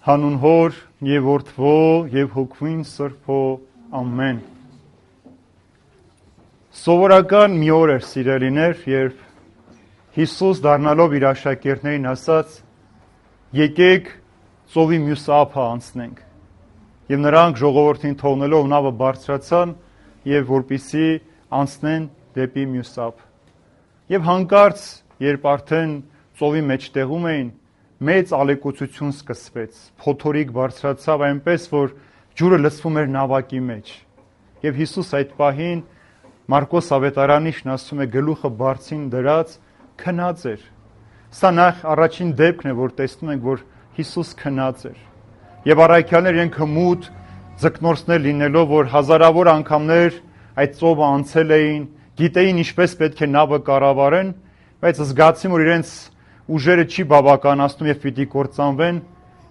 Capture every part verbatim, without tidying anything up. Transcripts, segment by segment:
Հանուն Հոր եւ Որդվո եւ Հոգվին Սրբո ամեն։ Սովորական մի օր էր, սիրելիներ, երբ Հիսուս դառնալով իր աշակերտներին ասաց. եկեք ծովի մյուս ափը անցնենք։ Եվ նրանք ժողովրդին թողնելով նավը բարձրացան եւ որպիսի անցնեն դեպի մյուս ափ։ Եվ հանկարծ, երբ արդեն ծովի մեջտեղում էին, մեծ ալեկոծություն սկսվեց, փոթորիկ բարձրացավ այնպես, որ ջուրը լցվում էր նավակի մեջ։ Եվ Հիսուս այդ պահին Մարկոս ավետարանիչն ասում է գլուխը բարձին դրած քնած էր։ Սա նախ առաջին դեպքն է, որ տեսնում ենք, որ Հիսուս քնած էր։ Եվ առաքյալները իրենք հմուտ ձկնորսներ լինելով, որ հազարավոր անգամներ այդ ծովը անցել էին, գիտեին ինչպես պետք է նավը կառավարեն, բայց զգացին, որ իրենց ուժերը չի բավականացնում եւ պիտի կործանվեն,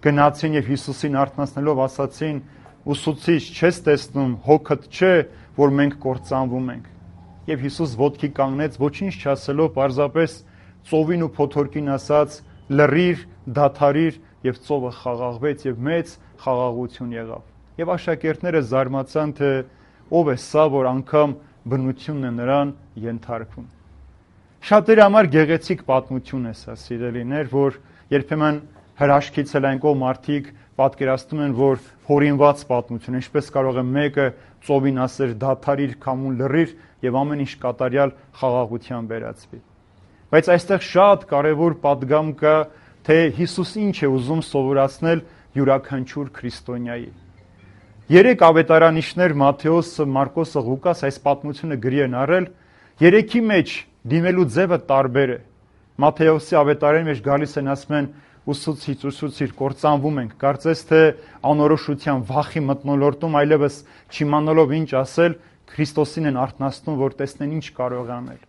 գնացին եւ Հիսուսին արթնացնելով ասացին. «Ուսուցիչ, չես տեսնում, հոգդ չէ, որ մենք կործանվում ենք»։ Եվ Հիսուս ոտքի կանգնեց, ոչինչ չասելով, պարզապես ծովին ու փոթորկին ասաց. «Լռիր, դադարիր», եւ ծովը խաղաղվեց եւ մեծ խաղաղություն եղավ։ Եվ աշակերտները զարմացան, թե ով է սա, որ անգամ բնությունն է նրան ենթարկվում։ Շատերի համար գեղեցիկ պատմություն է սա, սիրելիներ, որ երբեմն հրաշքից էլ այն կողմ մարդիկ պատկերացնում են, որ հորինված պատմություն, ինչպես կարող է մեկը ծովին ասել դադարիր, քամուն լռիր եւ ամեն ինչ կատարյալ խաղաղության վերածվի։ Բայց այստեղ շատ կարեւոր պատգամ կա, թե Հիսուս ինչ է ուզում սովորացնել յուրաքանչյուր քրիստոնյայի։ Երեք ավետարանիչներ Մատթեոսը, Մարկոսը, Ղուկաս այս պատմությունը գրի են առել, երեքի մեջ դիմելու ձևը տարբեր է։ Մատթեոսի ավետարանի մեջ գալիս են ասում են ուսուցիչ, ուսուցիչ, կործանվում ենք, կարծես թե անորոշության վախի մթնոլորտում այլևս չիմանալով ինչ ասել, Քրիստոսին են արթնացնում, որ տեսնեն ինչ կարող է անել։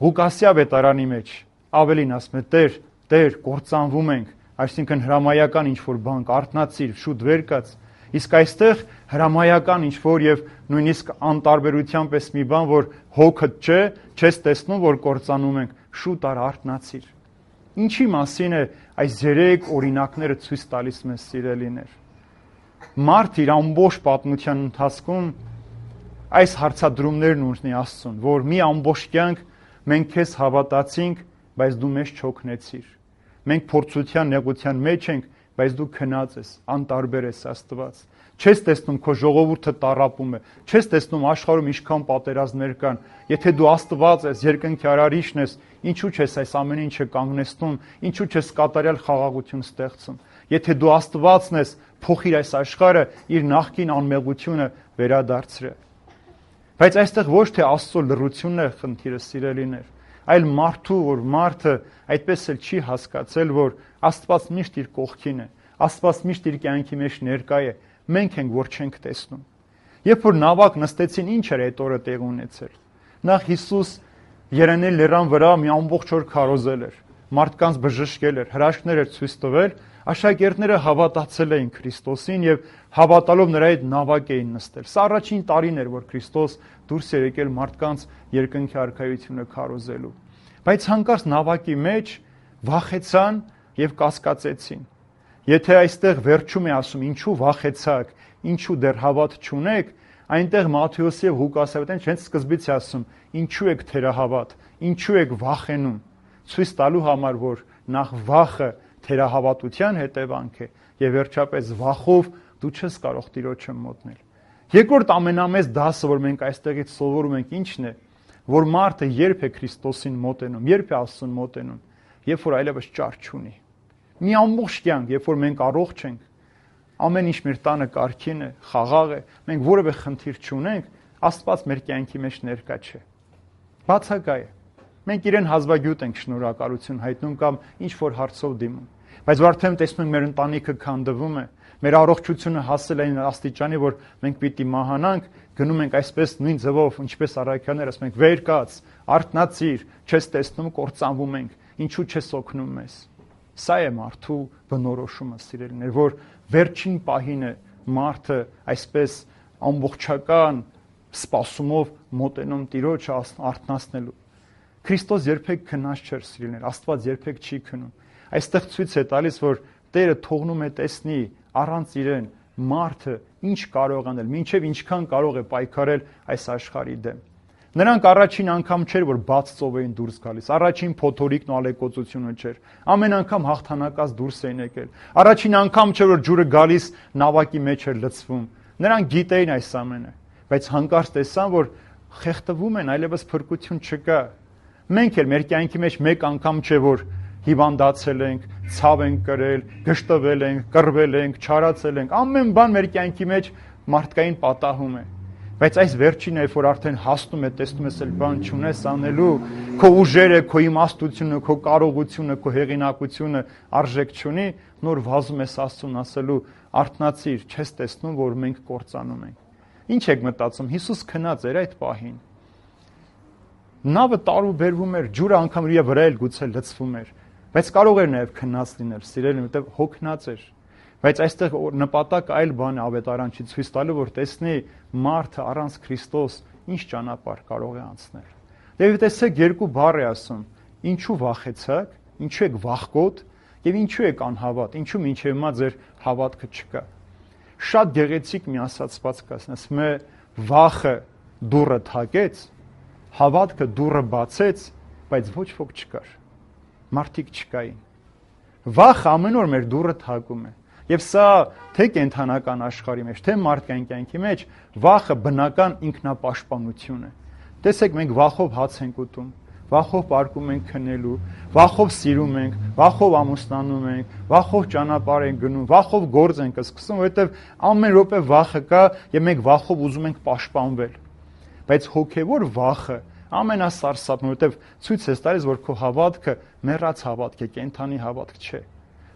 Ղուկասի ավետարանի մեջ ավելին ասում է. Տեր, Տեր, կործանվում ենք, այսինքն հրամայական ինչ-որ բան, արթնացիր, շուտ վեր կաց։ Իսկ այստեղ հրամայական ինչ-որ եւ նույնիսկ անտարբերության պես մի բան, որ հոգդ չէ, չես տեսնում, որ կործանում ենք, շուտ առ արթնացիր։ Ինչի մասին է այս երեք օրինակները ցույց տալիս մեզ, սիրելիներ։ Մարդ իր ամբողջ պատմության ընթացքում այս հարցադրումներն ունի Աստծուն, որ մի ամբողջ կյանք մենք քեզ հավատացինք, բայց դու մեզ չօգնեցիր։ Մենք փորձության նեղության մեջ ենք, բայց դու քնած ես, անտարբեր ես Աստված։ Չես տեսնում քո ժողովուրդը տառապում է, չես տեսնում աշխարհում ինչքան պատերազմներ կան։ Եթե դու Աստված ես, երկնքի արարիչն ես, ինչու՞ չես այս ամեն ինչը կանգնեցնում, ինչու՞ չես կատարյալ խաղաղություն ստեղծում։ Եթե դու Աստվածն ես, փոխիր այս աշխարհը, իր նախկին անմեղությունը վերադարձրե։ Բայց այստեղ ոչ թե Աստծո լռությունն է խնդիրը, սիրելիներ, այլ մարդու, որ մարդը այդպես էլ չի հասկացել, որ Աստված միշտ իր կողքին է, Աստված միշտ իր կյանքի մեջ ներկա է, մենք ենք, որ չենք տեսնում։ Երբ որ նավակ նստեցին, ինչ էր այդ օրը տեղ ունեցել։ Նախ Հիսուս Երևանի լեռան վրա մի ամբողջ օր քարոզել էր, մարդկանց բժշկել էր, հրաշքներ էր ցույց տվել, աշակերտները հավատացել էին Քրիստոսին եւ հավատալով նրա հետ նավակ էին նստել։ Սա առաջին տարին էր, որ Քրիստոս դուրս էր եկել մարդկանց երկնքի արքայությունը քարոզելու։ Բայց հանկարծ նավակի մեջ վախեցան եւ կասկածեցին։ Եթե այստեղ վերջում է ասում ինչու վախեցաք, ինչու դեռ հավատ չունեք, այնտեղ Մատթեոսի եւ Ղուկասի ավետարանը հենց սկզբից է ասում ինչու եք թերահավատ, ինչու եք վախենում, ցույց տալու համար, որ նախ վախը թերահավատության հետևանք է եւ վերջապես վախով դու չես կարող Տիրոջը մոտնել։ Երկրորդ ամենամեծ դասը, որ մենք այստեղից սովորում ենք, ինչն է, որ մարդը երբ է Քրիստոսին մոտենում, երբ է Աստծուն մոտենում, երբ որ այլևս ճար չունի։ Մի ամբողջ կյանք, երբ որ մենք առողջ ենք, ամեն ինչ մեր տանը կարգին է, խաղաղ է, մենք որևէ խնդիր չունենք, Աստված մեր կյանքի մեջ ներկա չէ։ Բացակա է։ Մենք իրեն հազվագյուտ ենք շնորհակալություն հայտնում կամ ինչ որ հարցով դիմում։ Բայց արդեն տեսնում ենք մեր ընտանիքը քանդվում է, մեր առողջությունը հասել է այն աստիճանի, որ մենք պիտի մահանանք, գնում ենք այսպես նույն ձևով, ինչպես առաքյալները, ասում ենք վեր կաց, արթնացիր, չես տեսնում, կործանվում ենք, ինչու չես օգնում մեզ։ Սա է մարդու բնորոշումը, սիրելիներ, որ վերջին պահին է մարդը այսպես ամբողջական սպասումով մոտենում Տիրոջը արթնացնելու։ Քրիստոս երբեք քնած չէր, սիրելիներ, Աստված երբեք չի քնում։ Այստեղ ցույց է տալիս, որ Տերը թողնում է տեսնի առանց իրեն մարդը ինչ կարող անել, մինչև ինչքան կարող է պայքարել այս աշխարհի դեմ։ Նրանք առաջին անգամ չէր, որ բաց ծով էին դուրս գալիս, առաջին փոթորիկն ու ալեկոծությունը չէր, ամեն անգամ հաղթանակած դուրս էին եկել, առաջին անգամ չէր, որ ջուրը գալիս նավակի մեջ էր լցվում, նրանք գիտեին այս ամենը, բայց հանկարծ տեսան, որ խեղդվում են, այլևս փրկություն չկա։ Մենք էլ մեր կյանքի մեջ մեկ անգամ չէ, որ հիվանդացել ենք, ցավ ենք կրել, գժտվել ենք, կռվել ենք, չարացել ենք, ամեն բան մեր կյանքի մեջ մարդկային պատահում է։ Բայց այս վերջինը, երբ որ արդեն հասնում է, տեսնում ես, էլ բան չունես անելու, քո ուժերը, քո իմաստությունը, քո կարողությունը, քո հեղինակությունը արժեք չունի, նոր վազում ես Աստծուն ասելու, արթնացիր, չես տեսնում, որ մենք կործանում ենք։ Ինչ եք մտածում, Հիսուս քնած էր այդ պահին։ Նավը տարուբերվում էր, ջուրը անգամ իր վրա էլ գուցե լցվում էր, բայց կարող էր նաև քնած լինել, սիրելին, որտեղ հոգնած էր։ Բայց այստեղ նպատակը այլ բան է ավետարանչի ցույց տալու, որ տեսնի մարդը առանց Քրիստոս ինչ ճանապարհ կարող է անցնել։ Եվ տեսեք երկու բառ է ասում. ինչու վախեցաք, ինչու եք վախկոտ եւ ինչու եք անհավատ, ինչու մինչեւ հիմա ձեր հավատքը չկա։ Շատ գեղեցիկ մի ասացված կա, ասում է վախը դուռը թակեց, հավատքը դուռը բացեց, բայց ոչ ոք չկար։ Մարդիկ չկային։ Վախը ամեն օր մեր դուռը թակում է։ Եվ սա թե կենթանական աշխարհի մեջ, թե մարդկային կյանքի մեջ վախը բնական ինքնապաշտպանություն է։ Տեսեք, մենք վախով հաց ենք ուտում, վախով պարկում ենք քնելու, վախով սիրում ենք, վախով ամուսնանում ենք, վախով ճանապարհ ենք գնում, վախով գործ ենք սկսում, որովհետև ամեն րոպե վախը կա եւ մենք վախով ուզում ենք պաշտպանվել։ Բայց հոգեվոր վախը ամենասարսափն, որովհետև ցույց է տալիս, որ քո հավատքը մեռած հավատք է, կենթանի հավատք չէ։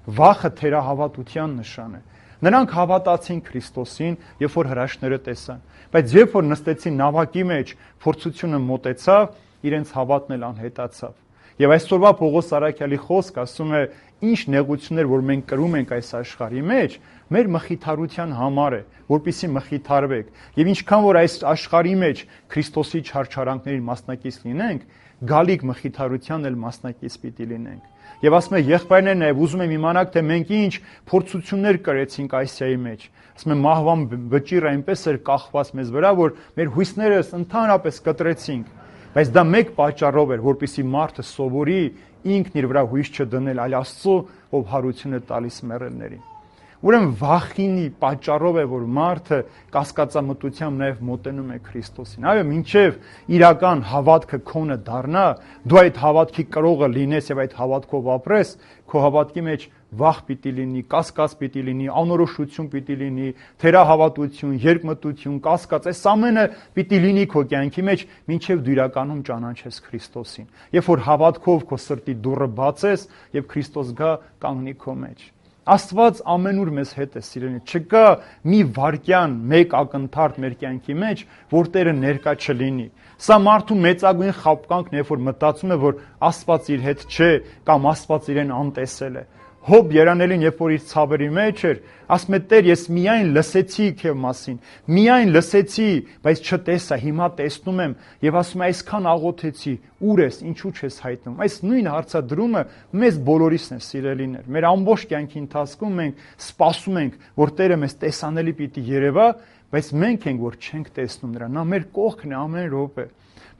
Վախը թերահավատության նշան է։ Նրանք հավատացին Քրիստոսին, երբ որ հրաշքները տեսան, բայց երբ որ նստեցին նավակի մեջ, փորձությունը մոտեցավ, իրենց հավատն էլ անհետացավ։ Եվ այսօրվա Պողոս Արաքյալի խոսքը ասում է, ինչ նեղություններ, որ մենք կրում ենք այս աշխարհի մեջ, մեր մխիթարության համար է, որպեսզի մխիթարվեք։ Եվ ինչքան որ այս աշխարհի մեջ Քրիստոսի չարչարանքներին մասնակից լինենք, գալիք մխիթարության էլ մասնակից պիտի լինենք։ Եվ ասում է, եղբայրներն նաև ուզում եմ իմանալ, թե մենք ինչ փորձություններ կրեցինք Ասիայի մեջ։ Ասում է, մահվան վճիռը այնպես էր կախված մեզ վրա, որ մեր հույսները ընդհանրապես կտրեցինք։ Բայց դա մեկ պատճառով էր, որպեսզի մարդը սովորի ինքն իր վրա հույս չդնել, այլ Աստծո, ով հարություն է տալիս մեռելներին։ Ուրեմն վախինի պատճառով է, որ մարդը կասկածամտությամբ նաև մոտենում է Քրիստոսին։ Այո, մինչև իրական հավատքը քոնը դառնա, դու այդ հավատքի կրողը լինես եւ այդ հավատքով ապրես, քո հավատքի մեջ վախ պիտի լինի, կասկած պիտի լինի, անորոշություն պիտի լինի, թերահավատություն, երկմտություն, կասկած, այս ամենը պիտի լինի քո կյանքի մեջ, մինչև դու իրականում ճանաչես Քրիստոսին։ Երբ որ հավատքով քո սրտի դուռը բացես եւ Քրիստոս գա կանգնի քո մեջ։ Աստված ամենուր մեզ հետ է, սիրելին, չկա մի վարքյան, մեկ ակնթարթ մեր կյանքի մեջ, որ Տերը ներկա չլինի։ Սա մարդու մեծագույն խաբկանքն է, երբ որ մտածում է, որ Աստված իր հետ չէ, կամ Աստված իրեն անտեսել է։ Հոբ երանելին, երբ որ իր ցավերի մեջ էր, ասում է, Տեր, ես միայն լսեցի քեզ մասին, միայն լսեցի, բայց չտեսա, հիմա տեսնում եմ, եւ ասում է, այսքան աղոթեցի, ուր ես, ինչու չես հայտնում։ Այս նույն հարցադրումը մեզ բոլորիս է, սիրելիներ։ Մեր ամբողջ կյանքի ընթացքում մենք սպասում ենք, որ Տերը մեզ տեսանելի պիտի երևա, բայց մենք ենք, որ չենք տեսնում նրան։ Նա մեր կողքն է ամեն րոպե։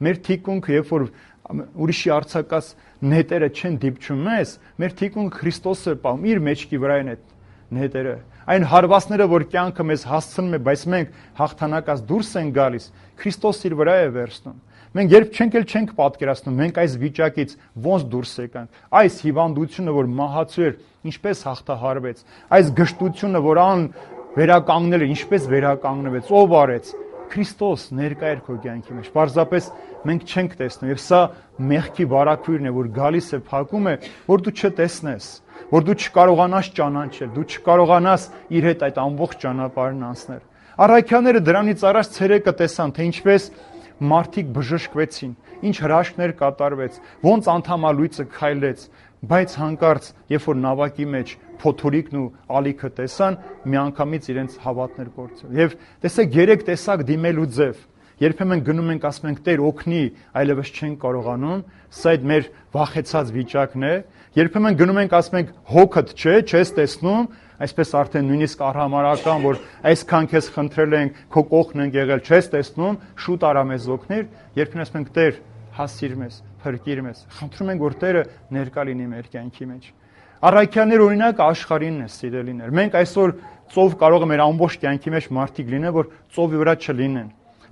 Մեր թիկունքը, երբ որ ուրիշի արձակած նետերը չեն դիպչում մեզ, մեր թիկունքը Քրիստոսը պահում իր մեջքի վրա են այդ նետերը։ Այն հարվածները, որ կյանքը մեզ հասցնում է, բայց մենք հաղթանակած դուրս են գալիս, Քրիստոս իր վրա է վերցնում։ Մենք երբ չենք էլ չենք պատկերացնում, մենք այս վիճակից ոնց դուրս եկանք։ Այս հիվանդությունը, որ մահացու էր, ինչպես հաղթահարվեց։ Այս գժտությունը, որ ան վերականգնել էր, ինչպես վերականգնվեց, ով արեց։ Քրիստոս ներկա էր քո կյանքի մեջ։ Պարզապես մենք չենք տեսնում, եւ սա մեղքի վարակույրն է, որ գալիս է, փակում է, որ դու չտեսնես, որ դու չկարողանաս ճանաչել, դու չկարողանաս իր հետ այդ ամբողջ ճանապարհն անցնել։ Առաքյալները դրանից առաջ ցերեկը տեսան, թե ինչպես մարդիկ բժշկվեցին, ինչ հրաշքներ կատարվեց, ոնց անդամալույցը քայլեց, բայց հանկարծ, երբ որ նավակի մեջ փոթորիկն ու ալիքը տեսան, միանգամից իրենց հավատներ կորցրել։ Եվ տեսեք, երեք տեսակ դիմելու ձև։ Երբեմն գնում ենք, ասում ենք Տեր օգնի, այլևս չենք կարողանում, սա այդ մեր վախեցած վիճակն է։ Երբեմն գնում ենք, ասում ենք հոգդ չէ, չես տեսնում, այսպես արդեն նույնիսկ արհամարական, որ այսքան քեզ խնդրել ենք, քո կողքն ենք եղել, չես տեսնում, շուտ արա մեզ օգնիր, երբեմն ասում ենք Տեր, հասիր մեզ, փրկիր մեզ։ Խնդրում ենք, որ Տերը ներկա լինի մեր կյանքի մեջ։ Առաքյալներ օրինակը աշխարհինն է, սիրելիներ։ Մենք այսօր ծով կարող է մեր ամբողջ կյանքի մեջ մարդիկ լինեն, որ ծովի վրա չլինեն,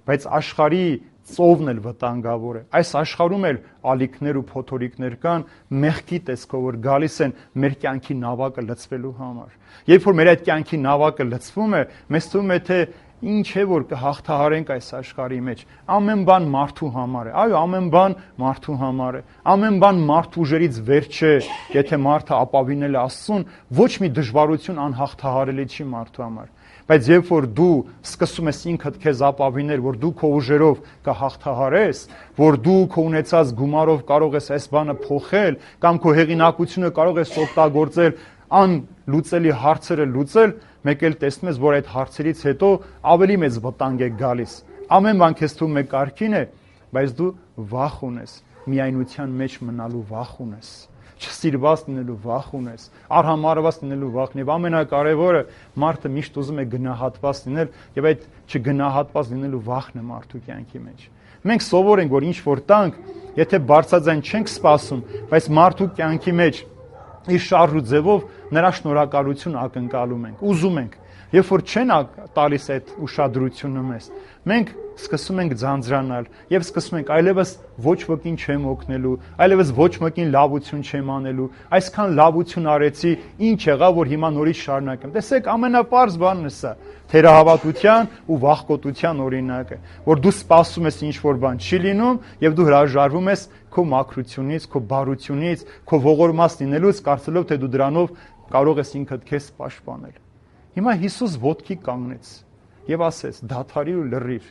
բայց աշխարհի ծովն էլ վտանգավոր է։ Այս աշխարհում էլ ալիքներ ու փոթորիկներ կան, մեղքի տեսքով, որ գալիս են մեր կյանքի նավակը լցվելու համար։ Երբ որ մեր այդ կյանքի նավակը լցվում է, մեզ թվում է թե ինչ է որ կհաղթահարենք այս աշխարհի մեջ։ Ամեն բան մարդու համար է։ Այո, ամեն բան մարդու համար է։ Ամեն բան մարդ ուժերից վեր չէ։ Եթե մարդը ապավինել է Աստծուն, ոչ մի դժվարություն անհաղթահարելի չի մարդու համար։ Բայց երբ որ դու սկսում ես ինքդ քեզ ապավինել, որ դու քո ուժերով կհաղթահարես, որ դու քո ունեցած գումարով կարող ես այս բանը փոխել, կամ քո հեղինակությունը կարող ես օգտագործել անլուծելի հարցերը լուծել, մեկ էլ տեսնում ես, որ այդ հարցերից հետո ավելի մեծ վտանգ է գալիս։ Ամեն բան քեզ թվում է կարգին է, բայց դու վախ ունես, միայնության մեջ մնալու վախ ունես, չսիրված լինելու վախ ունես, արհամարված լինելու վախն եւ ամենակարևորը մարդը միշտ ուզում է գնահատված լինել եւ այդ չգնահատված լինելու վախն է մարդու կյանքի մեջ։ Մենք սովոր ենք, որ ինչ որ տանք, եթե բարձրաձայն չենք սպասում, բայց մարդու կյանքի մեջ իր շարժ ու ձևով նրա շնորհակալություն ակնկալում ենք, ուզում ենք։ Երբ որ չեն տալիս այդ ուշադրությունը մեզ, մենք սկսում ենք ձանձրանալ եւ սկսում ենք այլևս ոչ ոքին չեմ օգնելու, այլևս ոչ մեկին լավություն չեմ անելու, այսքան լավություն արեցի, ինչ եղավ, որ հիմա նորից շարունակեմ։ Տեսեք, ամենապարզ բանն է սա, թերահավատության ու վախկոտության օրինակը, որ դու սպասում ես ինչ որ բան չի լինում եւ դու հրաժարվում ես քո մաքրությունից, քո բարությունից, քո ողորմած լինելուց, կարծելով թե դու դրանով կարող ես ինքդ քեզ պաշտպանել։ Հիմա Հիսուս ոտքի կանգնեց եւ ասեց. «Դադարիր ու լռիր»։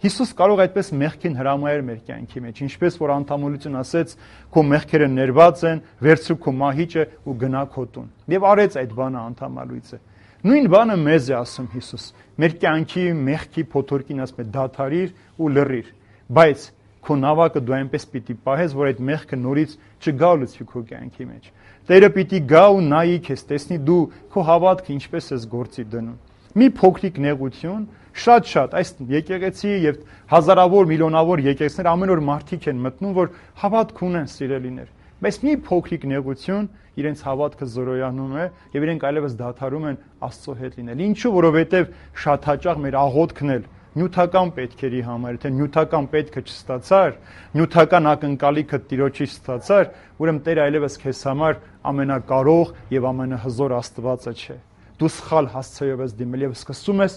Հիսուս կարող այդպես մեղքին հրամայել մեր կյանքի մեջ, ինչպես որ անդամոլություն ասեց, քո մեղքերը ներված են, վերցրու քո մահիճը ու գնա քո տուն։ Եվ արեց այդ բանը անդամալույցը։ Նույն բանը մեզ է ասում Հիսուս։ Մեր կյանքի մեղքի փոթորկին ասում է դադարիր ու լռիր, բայց քո նավակը դու այնպես պիտի պահես, որ այդ մեղքը նորից չգա ու լցվի քո կյանքի մեջ։ Տերը պիտի գա ու նայի քեզ, տեսնի դու քո հավատքը ինչպես ես գործի դնում։ Մի փոքրիկ նեղություն, շատ-շատ այս եկեղեցի եւ հազարավոր միլիոնավոր եկեղեցիներ ամեն օր մարդիկ են մտնում, որ հավատք ունեն, սիրելիներ, բայց մի փոքրիկ նեղություն իրենց հավատքը զորոյանում է եւ իրենք այլևս դադարում են Աստծո հետ լինել։ Ինչու? Որովհետեւ շատ հաճախ մեր աղոթքն էլ նյութական պետքերի համար, թե նյութական պետքը չստացար, նյութական ակնկալիքը Տիրոջից ստացար, ուրեմն Տերը այլևս քեզ համար ամենակարող եւ ամենահզոր Աստվածը չէ։ Դու սխալ հասցեով ես դիմել եւ սկսում ես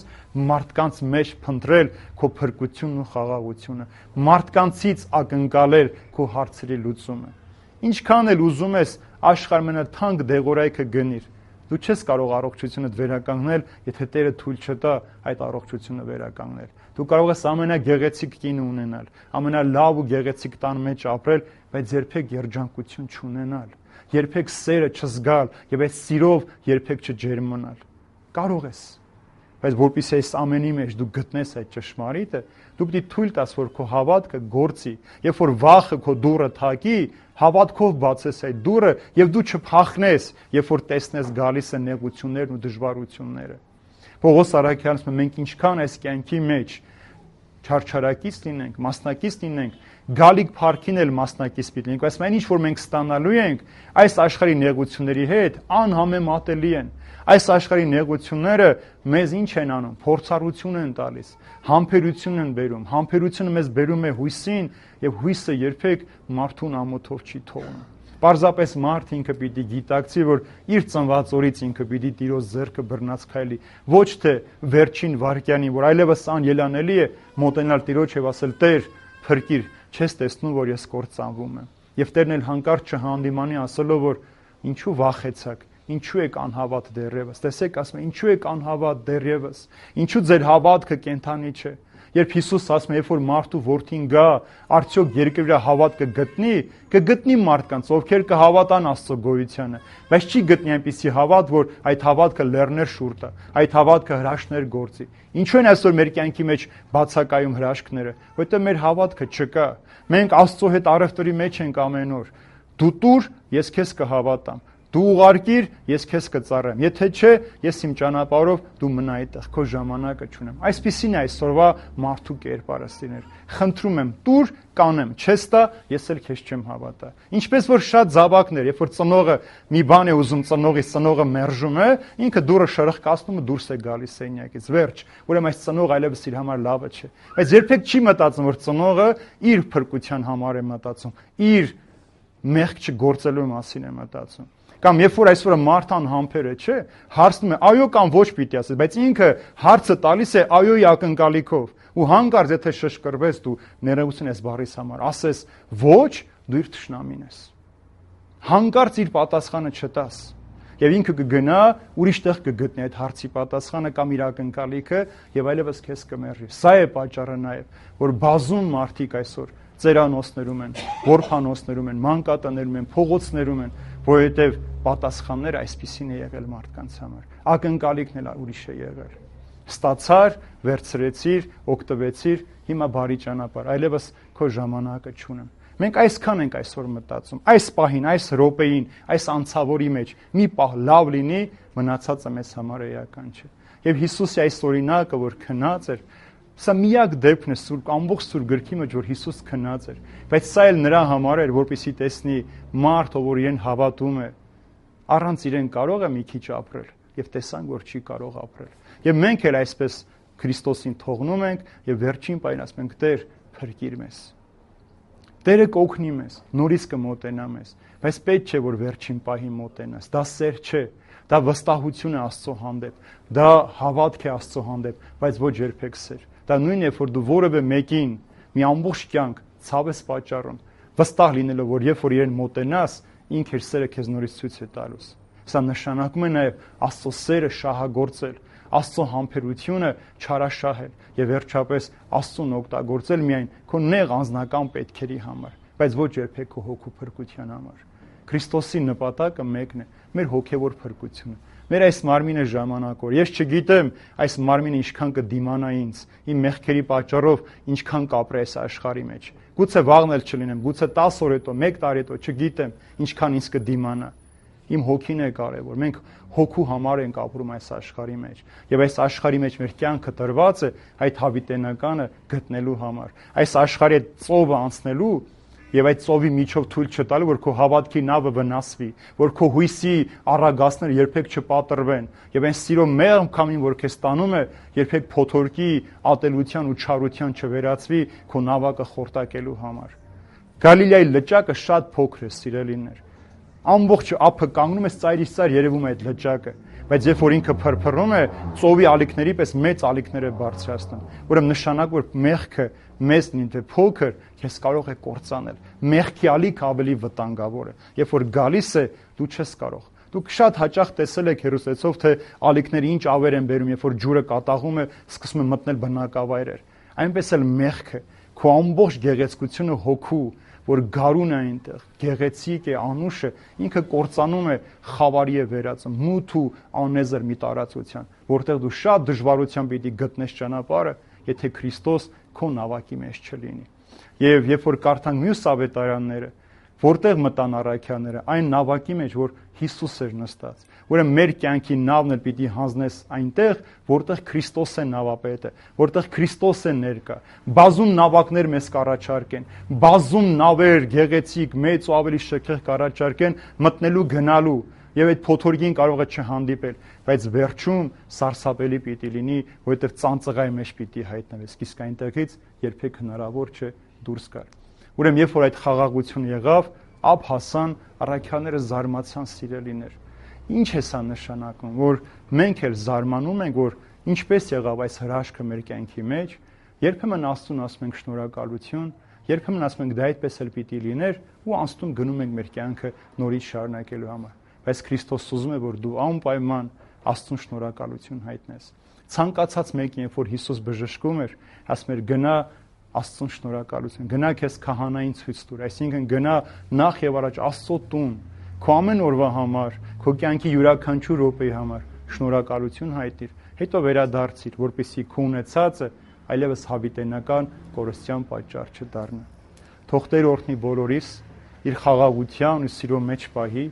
մարդկանց մեջ փնտրել քո փրկությունն ու խաղաղությունը, մարդկանցից ակնկալել քո հարցերի լուծումը։ Ինչքան էլ ուզում ես աշխարհամենաթանկ դեղորայքը գնիր, դու չես կարող առողջությունդ վերականգնել, եթե Տերը թույլ չտա այդ առողջությունը վերականգնել։ Դու կարող ես ամենագեղեցիկ կինը ունենալ, ամենալավ ու գեղեցիկ տան մեջ ապրել, բայց երբեք երջանկություն չունենալ, երբեք սերը չզգալ եւ այդ սիրով երբեք չջերմանալ։ Կարող ես, բայց որpիսի այս ամենի մեջ դու գտնես այդ ճշմարիտը, դու պիտի թույլ տաս, որ քո հավատքը գործի, երբ որ վախը քո դուռը թակի, հավատքով բացես այդ դուռը եւ դու չփախնես, երբ որ տեսնես գալիս են նեղություններն ու դժվարությունները։ Պողոս առաքյալն ասում է, մենք ինչքան այս կյանքի մեջ չարչարակից լինենք, մասնակից լինենք, գալիք փառքին էլ մասնակից պիտի լինենք, այսինքն ինչ որ մենք ստանալու ենք, այս աշխարհի նեղությունների հետ անհամեմատելի են։ Այս աշխարհի նեղությունները մեզ ինչ են անում, փորձառություն են տալիս, համբերություն են բերում, համբերությունը մեզ բերում է հույսին եւ հույսը երբեք մարդուն ամոթով չի թողնում։ Պարզապես մարդ ինքը պիտի գիտակցի, որ իր ծնված օրից ինքը պիտի Տիրոջ ձեռքը բռնած քայլի, ոչ թե վերջին վայրկյանին, որ այլևս անելանելի է մոտենալ Տիրոջ եւ ասել. «Տեր, փրկիր, չես տեսնում, որ ես կործանվում եմ»։ Եվ Տերն էլ հանկարծ չհանդիմանի ասելով, որ ինչու վախեցաք, ինչու եք անհավատ դեռևս։ Տեսեք, ասում է, ինչու եք անհավատ դեռևս, ինչու ձեր հավատքը կենթանի չէ։ Երբ Հիսուս ասում է, երբ որ մարդու որդին գա, արդյոք երկրի վրա հավատ կգտնի, կգտնի մարդկանց, ովքեր կհավատան Աստծո գոյությանը, բայց չի գտնի այնպիսի հավատ, որ այդ հավատքը լեռներ շուռ տա, այդ հավատքը հրաշքներ գործի։ Ինչու են այսօր մեր կյանքի մեջ բացակայում հրաշքները, որովհետև մեր հավատքը չկա։ Մենք Աստծո հետ առևտրի մեջ ենք ամեն օր։ Դու տուր, ես քեզ կհավատամ։ Դու ուղարկիր, ես քեզ կծառայեմ։ Եթե չէ, ես իմ ճանապարհով, դու մնա այդտեղ, քո ժամանակը չունեմ։ Այսպիսին է այսօրվա մարդու կերպարը, սիրներ։ Խնդրում եմ, տուր, կանեմ, չես տա, ես էլ քեզ չեմ հավատա։ Ինչպես որ շատ զավակներ, երբ որ ծնողը մի բան է ուզում, ծնողից ծնողը մերժում է, ինքը դուրը շրխկացնում ու դուրս է գալիս սենյակից։ Վերջ։ Ուրեմն այս ծնողը այլևս իր համար լավը չէ։ Բայց երբեք չի մտածում, որ ծնողը իր փրկության համար է մտածում, իր մեղք չգործելու մասին է մտածում։ Կամ երբ որ այսօրը մարդ անհամբեր է, չէ, հարցնում է այո կամ ոչ պիտի ասես, բայց ինքը հարցը տալիս է այոյի ակնկալիքով, ու հանկարծ եթե շշկրվես դու ներողություն ես բառիս համար, ասես ոչ, դու իր թշնամին ես։ Հանկարծ իր պատասխանը չտաս, եւ ինքը կգնա ուրիշ տեղ կգտնի այդ հարցի պատասխանը կամ իր ակնկալիքը եւ այլևս քեզ կմերժի։ Սա է պատճառը նաեւ, որ բազում մարդիկ այսօր ծերանոցներում են, որփանոցներում են, մանկատներում են, փողոցներում են, որովհետև պատասխանները այսպիսին է եղել մարդկանց համար։ Ակնկալիքն էլ ուրիշ է եղել։ Ստացար, վերցրեցիր, օգտվեցիր, հիմա բարի ճանապարհ, այլևս քո ժամանակը չունեմ։ Մենք այսքան ենք այսօր մտածում, այս պահին, այս րոպեին, այս անցավորի մեջ մի պահ լավ լինի, մնացածը մեզ համար էական չէ։ Եվ Հիսուսի այս օրինակը, որ քնած էր, սա միակ դեպքն է սուրբ ամբողջ սուրբ գրքի մեջ, որ Հիսուս քնած էր, բայց սա էլ նրա համար էր, որպեսզի տեսնի մարդ, ով որ իրեն հավատում է, առանց իրեն կարող է մի քիչ ապրել, եւ տեսանք, որ չի կարող ապրել։ Եվ մենք էլ այսպես Քրիստոսին թողնում ենք եւ վերջին պահին ասում ենք՝ Տեր, փրկիր մեզ։ Տերը կօգնի մեզ, նորից կմոտենա մեզ, բայց պետք չէ, որ վերջին պահին մոտենաս։ Դա սեր չէ, դա վստահություն է Աստծո հանդեպ, դա հավատք է Աստծո հանդեպ, բայց ոչ երբեք սեր։ Դա նույնն է, որ դու որևէ մեկին մի ամբողջ կյանք ցավ ես պատճառում, վստահ լինելով, որ երբ որ իրեն մոտենաս, ինքը իր սերը քեզ նորից ցույց է տալուս։ Սա նշանակում է նաև Աստծո սերը շահագործել, Աստծո համբերությունը չարաշահել եւ վերջապես Աստծուն օգտագործել միայն քո նեղ անձնական պետքերի համար, բայց ոչ երբեք քո հոգու փրկության համար։ Քրիստոսի նպատակը մեկն է՝ մեր հոգևոր փրկությունը։ Մեր այս մարմինը ժամանակավոր։ Ես չգիտեմ այս մարմինը ինչքան կդիմանա ինձ, իմ մեղքերի պատճառով ինչքան կապրի այս աշխարհի մեջ։ Գուցե վաղն էլ չլինեմ, գուցե տասը օր հետո, մեկ տարի հետո, չգիտեմ ինչքան ինձ կդիմանա։ Իմ հոգին է կարևոր։ Մենք հոգու համար ենք ապրում այս աշխարհի մեջ։ Եվ այս աշխարհի մեջ մեր կյանքը տրված է այդ հավիտենականը գտնելու համար։ Այս աշխարհի ծովը անցնելու եւ այդ ծովի միջով թույլ չտալու, որ քո հավատքի նավը վնասվի, որ քո հույսի առագաստները երբեք չպատրվեն, եւ այն սիրո մեղմ քամին, որ քեզ տանում է, երբեք փոթորկի, ատելության ու չարության չվերածվի քո նավակը խորտակելու համար։ Գալիլեայի լճակը շատ փոքր է, սիրելիներ։ Ամբողջ ափը կանգնում է ծայրից ծայր երևում է այդ լճակը, բայց երբ որ ինքը փրփռում է, ծովի ալիքների պես մեծ ալիքներ է բարձրացնում։ Ուրեմն նշանակ որ մեղքը մեզ նինթե փոքր, քեզ կարող է կործանել։ Մեղքի ալիքը ավելի վտանգավոր է։ Երբ որ գալիս է, դու չես կարող։ Դուք շատ հաճախ տեսել եք հերոսեցով, թե ալիքները ինչ ավեր են բերում, երբ որ ջուրը կատաղում է, սկսում է մտնել բնակավայրեր։ Այնպես էլ մեղքը, քո ամբողջ գեղեցկությունը հոգու, որ գարուն է այնտեղ, գեղեցիկ է, անուշ է, ինքը կործանում է, խավարի է վերածում, մութ ու անեզր մի տարածության, որտեղ դու շատ դժվարությամբ պիտի գտնես ճանապարհը, եթե Քրիստոս քո նավակի մեջ չլինի։ Եվ երբ որ կարդանք մյուս ավետարանները, որտեղ մտան առաքյալները, այն նավակի մեջ, որ Հիսուս էր նստած։ Ուրեմն մեր կյանքի նավն էլ պիտի հանձնես այնտեղ, որտեղ Քրիստոս է նավապետը, որտեղ Քրիստոս է ներկա։ Բազում նավակներ մեզ կառաջարկեն, բազում նավեր, գեղեցիկ, մեծ ու ավելի շքեղ կառաջարկեն մտնելու, գնալու, եւ այդ փոթորկին կարող է չհանդիպել, բայց վերջում սարսափելի պիտի լինի, որովհետեւ ծանծղայի մեջ պիտի հայտնվես, իսկ այնտեղից երբեք հնարավոր չէ դուրս գալ։ Ուրեմն երբ որ այդ խաղաղությունը եղավ, ապ հասան առաքյալները զարմացան, սիրելիներ։ Ինչ է սա նշանակում, որ մենք էլ զարմանում ենք, որ ինչպես եղավ այս հրաշքը մեր կյանքի մեջ, երբեմն Աստծուն ասում ենք շնորհակալություն, երբեմն ասում ենք դա այդպես էլ պիտի լիներ ու անստում գնում ենք մեր կյանքը նորից շարունակելու համար։ Բայց Քրիստոս ուզում է, որ դու անպայման Աստծուն շնորհակալություն հայտնես։ Ցանկացած մեկին, երբ որ Հիսուս բժշկում էր, ասում էր գնա Աստծուն շնորհակալություն, գնա քեզ քահանային ցույց տուր, այսինքն գնա նախ եւ առաջ Աստծո տուն, քո ամեն օրվա համար, քո կյանքի յուրաքանչյուր րոպեի համար շնորհակալություն հայտիր, հետո վերադարձիր, որպեսզի քո ունեցածը այլևս հավիտենական կորստյան պատճառ չդառնա։ Թող Տեր օրհնի բոլորիս իր խաղաղության ու սիրո մեջ պահի,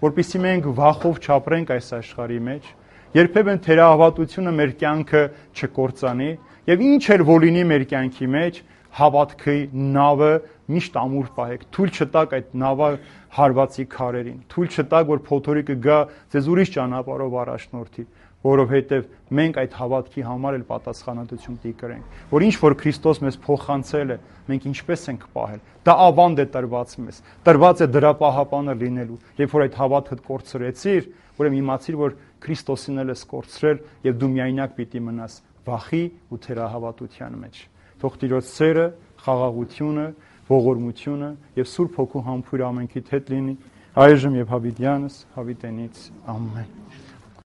որպեսզի մենք վախով չապրենք այս աշխարհի մեջ, երբեմն թերահավատությունը մեր կյանքը չկործանի եւ ինչ էլ որ լինի մեր կյանքի մեջ, հավատքի նավը միշտ ամուր պահեք, թույլ չտաք այդ նավը հարվածի քարերին, թույլ չտաք, որ փոթորիկը գա ձեզ ուրիշ ճանապարհով առաջնորդի, որովհետև մենք այդ հավատքի համար էլ պատասխանատվություն պետք է կրենք, որ ինչ որ Քրիստոս մեզ փոխանցել է, մենք ինչպես ենք պահել, դա ավանդ է տրված մեզ, տրված է դրա պահապանը լինելու, երբ որ այդ հավատքը կորցրեցիր, ուրեմն իմացիր, որ Քրիստոսին էլ ես կորցրել եւ դու միայնակ պիտի մնաս վախի ու թերահավատության մեջ։ Թող Տիրոջ սերը, խաղաղությունը, ողորմությունը եւ Սուրբ Հոգու համբույր ամենքիդ հետ լինի այժմ եւ հավիտյանս հավիտենից ամեն։